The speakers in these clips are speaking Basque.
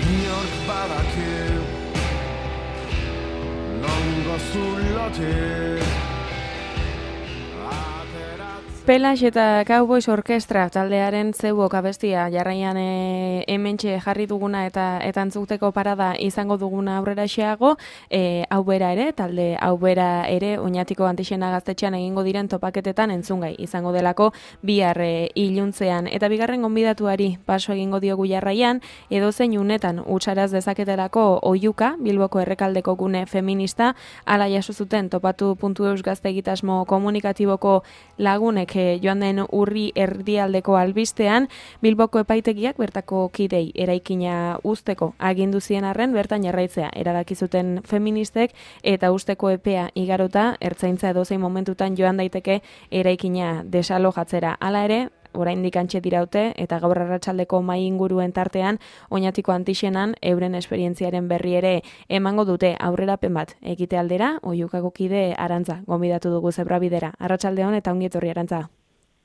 inork badaki nongo zulotik Pelax eta Cowboys Orkestra taldearen zeuok abestia jarraian hementxe jarri duguna eta entzuteko parada izango duguna aurrera xeago, hau bera ere, talde hau bera ere, Oñatiko Antixena Gaztetxean egingo diren topaketetan entzungai izango delako bihar iluntzean. Eta bigarren gonbidatuari paso egingo diogu jarraian, edozein unetan utxaraz dezaketelako Oiuka, Bilboko errekaldeko gune feminista, ala jaso zuten topatu.eus gazte egitasmo komunikatiboko lagunek joan den urri erdialdeko albistean, Bilboko epaitegiak bertako kidei eraikina uzteko agindu zien arren bertan jarraitzea erabaki zuten feministek eta uzteko epea igarota ertzaintza edozein momentutan joan daiteke eraikina desalojatzera. Hala ere, oraindik antxe diraute eta gaur arratsaldeko mahai inguruen tartean Oñatiko Antixenan euren esperientziaren berri ere emango dute aurrerapen bat egite aldera. Oiukako kide Arantza gonbidatu dugu Zebrabidera. Arratsaldeon eta ongi etorri Arantza.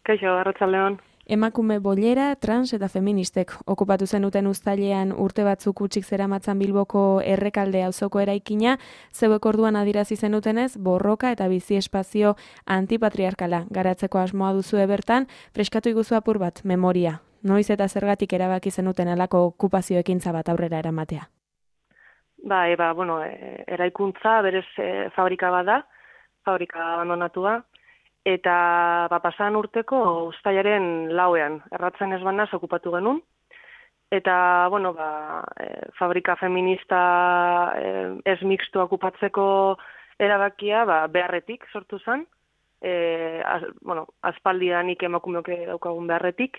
Kaixo, arratsaldeon. Emakume bollera, trans eta feministek okupatu zenuten uztailean urte batzuk utzik zeramatzan Bilboko errekalde auzoko eraikina, zeuek orduan adierazi zenutenez borroka eta bizi espazio antipatriarkala garatzeko asmoa duzue bertan, freskatu iguzu apur bat memoria. Noiz eta zergatik erabaki zenuten alako okupazio ekintza bat aurrera eramatea? Eraikuntza berez fabrika bada, fabrika abandonatua. Eta pasan urteko uztailaren 4ean, erratzen ez banaz okupatu genuen. Eta, fabrika feminista ez mixtu okupatzeko erabakia beharretik sortu zen. Aspaldidanik emakumeok daukagun beharretik.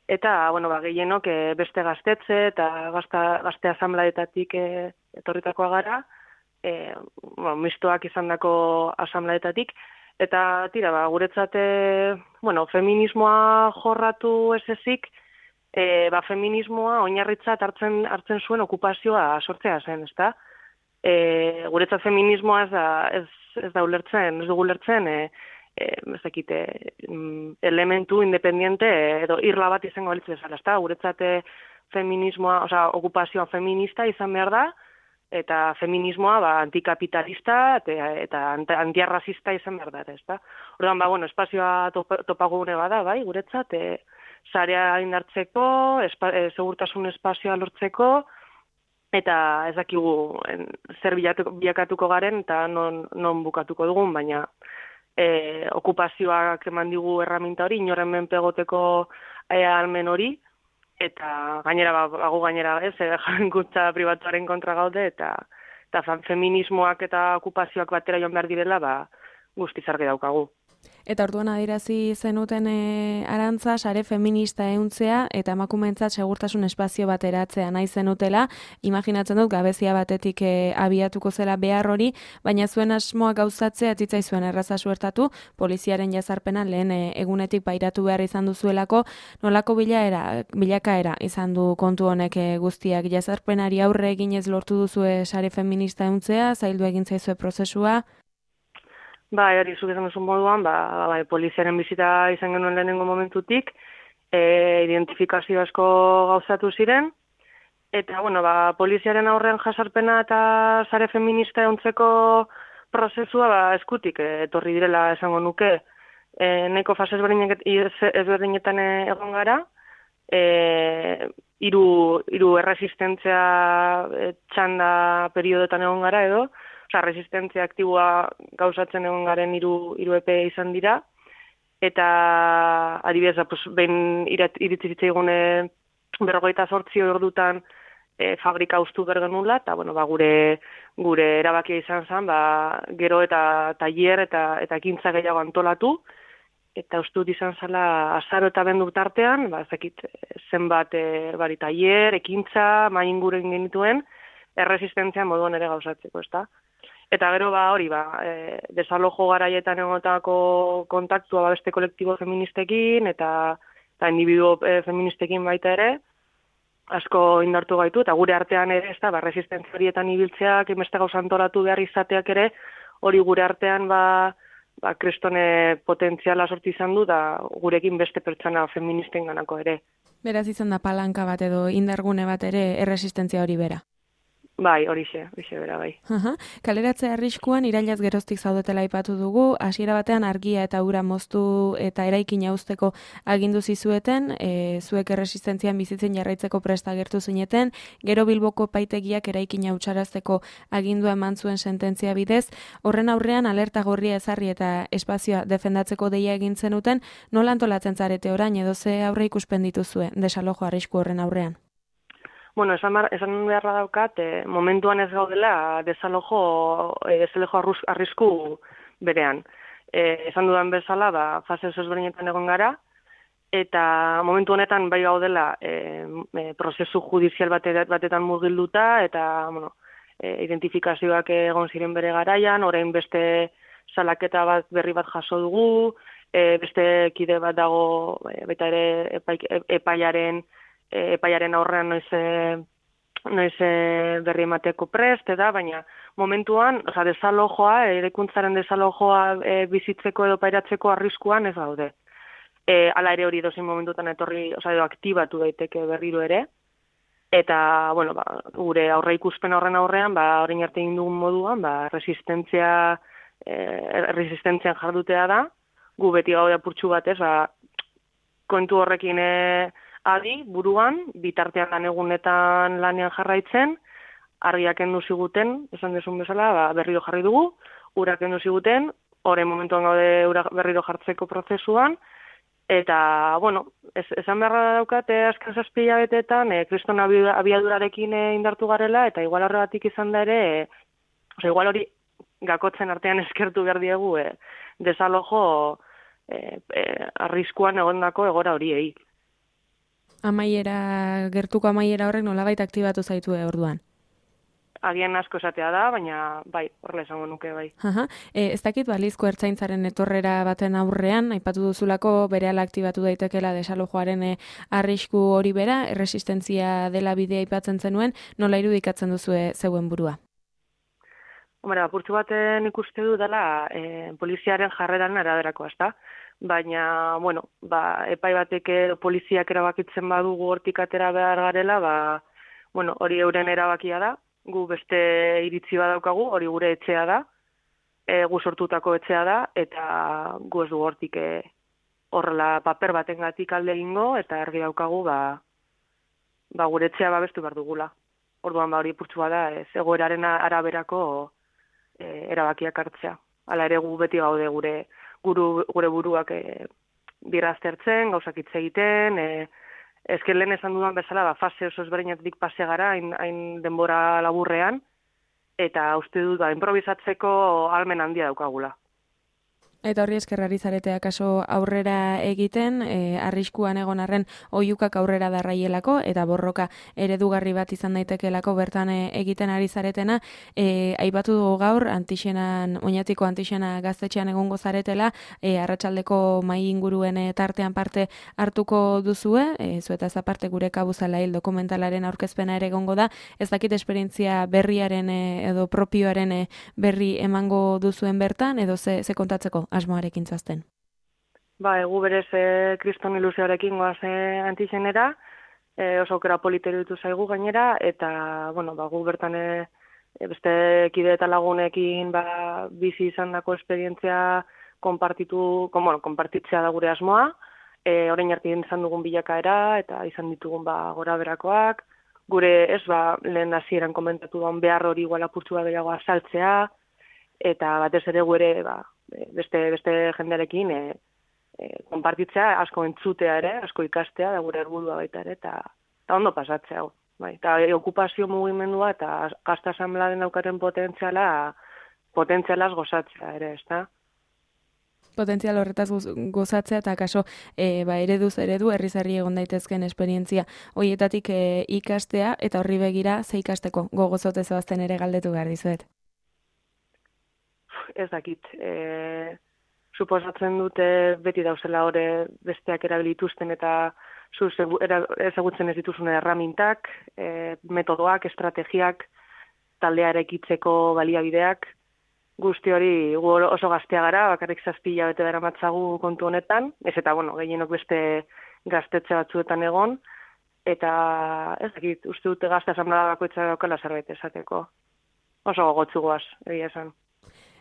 Eta, gehienok beste gaztetze eta gazte asamlaetatik etorritakoa gara. Mistoak izandako asamlaetatik. Eta guretzat, feminismoa jorratu ez ezik, feminismoa oinarritzat hartzen zuen okupazioa sortzea zen, ezta? Guretzat feminismoa ez dugu ulertzen, elementu independiente edo irla bat izango balitz bezala, ezta? Guretzat feminismoa, okupazioa feminista izan behar da, eta feminismoa antikapitalista eta antiarrazista izan behar da, ezta? Orduan, espazioa topagune bada, guretzat, sarea indartzeko, segurtasun espazioa lortzeko, eta ez dakigu zer bilakatuko garen eta non bukatuko dugun, baina okupazioak eman digu erraminta hori, inoren menpegoteko almen hori, eta gainera, jankutza pribatuaren kontra gaude, eta feminismoak eta okupazioak batera joan behar direla, guztiz argi daukagu. Eta orduan adierazi zenuten Arantza, sare feminista ehuntzea eta emakumeentzat segurtasun espazio bat eratzea nahi zenutela, imaginatzen dut gabezia batetik abiatuko zela behar hori, baina zuen asmoa gauzatzea zitzaizuen erraza suertatu, poliziaren jazarpena lehen egunetik pairatu behar izan duzuelako, nolako bilakaera izan du kontu honek guztiak, jazarpenari aurre eginez lortu duzue sare feminista ehuntzea, zaildu egin zaizue prozesua? Hori zuk esan duzun moduan, poliziaren bizita izan genuen lehenengo momentutik, identifikazio asko gauzatu ziren, eta, poliziaren aurrean jasarpena eta sare feminista ehuntzeko prozesua, eskutik etorri direla esango nuke, nahiko fase ezberdinetan egon gara, hiru erresistentzia txanda periodotan egon gara edo, resistentzia aktiboa gauzatzen egon garen hiru epe izan dira, eta adibidez, behin iritsi zitzaigune 48 ordutan fabrika uztu behar genula, eta gure erabakia izan zen, gero eta tailer eta ekintza gehiago antolatu, eta uste dut izan zela azaro eta bendu tartean, zenbat tailer, ekintza, mahai inguren genituen, erresistentzia moduan ere gauzatzeko, ezta? Eta gero desalojo garaietan egotako kontaktua beste kolektibo feministekin eta individuo feministekin baita ere, asko indartu gaitu, eta gure artean ere, resistentzia horietan ibiltzeak, inbeste gauza antolatu behar izateak ere, hori gure artean kristone potentziala sortu izan du, da gurekin beste pertsona feministen ganako ere. Beraz izan da palanka bat edo indargune bat ere erresistentzia hori bera. Bai, horixe bera, bai. Kaleratze arriskuan irailaz geroztik zaudetela aipatu dugu, hasiera batean argia eta ura moztu eta eraikina uzteko agindu zizueten, zuek erresistentzian bizitzen jarraitzeko presta agertu zineten, gero Bilboko epaitegiak eraikina hutsarazteko agindua eman zuen sententzia bidez, horren aurrean alerta gorria ezarri eta espazioa defendatzeko deia egin zenuten, nola antolatzen zarete orain edo ze aurre ikusten dituzue desalojo arrisku horren aurrean? Bueno, esan beharra daukat, momentuan ez gaudela desalojo arrisku berean. Esan dudan bezala, fase ezberdinetan egon gara, eta momentu honetan bai gaudela prozesu judizial batetan murgilduta, eta identifikazioak egon ziren bere garaian, orain beste salaketa berri bat jaso dugu, beste kide bat dago baita ere epaiaren aurrean noiz berri emateko prest, baina momentuan, desalojoa, eraikuntzaren desalojoa bizitzeko edo pairatzeko arriskuan ez gaude. Hala ere hori dozin momentutan etorri, edo aktibatu daiteke berriro ere, eta, gure aurre ikuspen horren aurrean, orain arte egin dugun moduan, resistentzian jardutea da, gu beti gaude apurtxu batez, kontu horrekin adi, buruan, bitartean lan egunetan lanean jarraitzen, argiak kendu ziguten, esan desun bezala, berriro jarri dugu, urak kendu ziguten, horren momentuan gaude ura berriro jartzeko prozesuan, eta, esan beharra daukate azken 7 hilabeteetan, kriston abiadurarekin indartu garela, eta igual horregatik izan da ere, igual hori gakotzen artean eskertu behar diegu, desalojo arriskuan egondako egora horiei. Gertuko amaiera horrek nolabait aktibatu zaitu orduan? Agian asko esatea da, baina bai, horrela esango nuke bai. Ez dakit balizko ertzaintzaren etorrera baten aurrean, aipatu duzulako berehala aktibatu daitekela desalojoaren arrisku hori bera, erresistentzia dela bidea aipatzen zenuen, nola irudikatzen duzue zeuen burua? Apurtxu baten ikuste du dela poliziaren jarreran araberakoa, ezta? Baina, epai batek poliziak erabakitzen badugu hortik atera behar garela, hori euren erabakia da, gu beste iritzi badaukagu, hori gure etxea da, gu sortutako etxea da, eta gu ez du hortik horrela paper batengatik alde egingo, eta argi daukagu, gure etxea babestu behar dugula. Orduan, hori purtsua da, egoeraren araberako erabakiak hartzea. Hala ere gu beti gaude gure buruak birraztertzen, gauzak hitz egiten, ezken lehen esan dudan bezala, fase oso ezberdinatik pase gara, hain denbora laburrean, eta uste dut, improvisatzeko ahalmen handia daukagula. Eta horri eskerrari zaretea kaso aurrera egiten, arriskuan egon arren oihukak aurrera darraielako, eta borroka eredugarri bat izan daitekelako bertan egiten ari zaretena, aipatu dugu gaur, oinatiko antixena gaztetxean egongo zaretela, arratsaldeko mahai inguruen tartean parte hartuko duzue, zuetaz aparte gure kabuzala hil dokumentalaren aurkezpena ere egongo da, ez dakit esperientzia berriaren edo propioaren berri emango duzuen bertan, edo ze kontatzeko asmoarekin zazten? Gu berez kriston ilusioarekin goaz antixenera, oso aukera politeru ditu zaigu gainera, eta, gu bertan beste kide eta lagunekin bizi izan dako esperientzia konpartitzea da gure asmoa, orain arte izan dugun bilakaera, eta izan ditugun gora berakoak, gure lehen hasieran komentatu duan behar hori igual apurtxua gehiago azaltzea, eta batez ere gure beste jendearekin konpartitzea, asko entzutea ere, asko ikastea, da gure helburua baita ere, eta ondo pasatzea. Eta okupazio mugimendua eta gazta asanbladen daukaten potentzialaz gozatzea ere, ezta? Potentzial horretaz gozatzea eta kaso ereduz eredu herri egon daitezken esperientzia horietatik ikastea eta horri begira ze ikasteko gogozote zoazten ere galdetu behar dizuet. Ez dakit. Suposatzen dute beti dauzela hori besteak erabilituzten eta ezagutzen ez dituzun erramintak, metodoak, estrategiak, taldea erekitzeko baliabideak, guzti hori gu oso gaztea gara, bakarrik 7 hilabete daramatzagu kontu honetan, ez eta, gehienok beste gaztetxe batzuetan egon, eta ez dakit, uste dute gazte asamblea bakoitza daukala zerbait esateko. Oso gogotzugoaz, egia esan.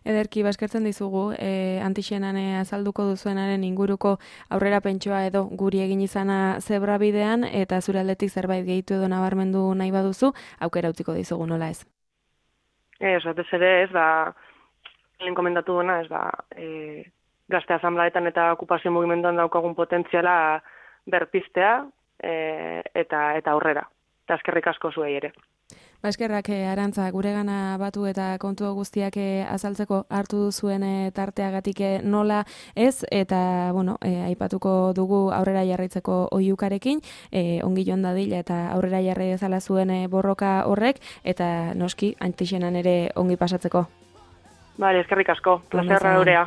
Ederki, baskertzen dizugu, Antixenan azalduko duzuenaren inguruko aurrera pentsoa edo guri egin izana zebra bidean, eta zure aldetik zerbait gehitu edo nabarmendu nahi baduzu, aukera utziko dizugu, nola ez? Batez ere, ez da, lehen komentatu duena, ez da, gazte asanblaetan eta okupazio mugimenduan daukagun potentziala berpiztea eta aurrera. Eta eskerrik asko zuei ere. Eskerrak Arantza, guregana batu eta kontu guztiak azaltzeko hartu duzuen tarteagatik nola ez, eta aipatuko dugu aurrera jarraitzeko oihukarekin, ongi joan dadila eta aurrera jarrai dezala zuen borroka horrek, eta noski Antixenan ere ongi pasatzeko. Bale, eskerrik asko, plazerra gurea.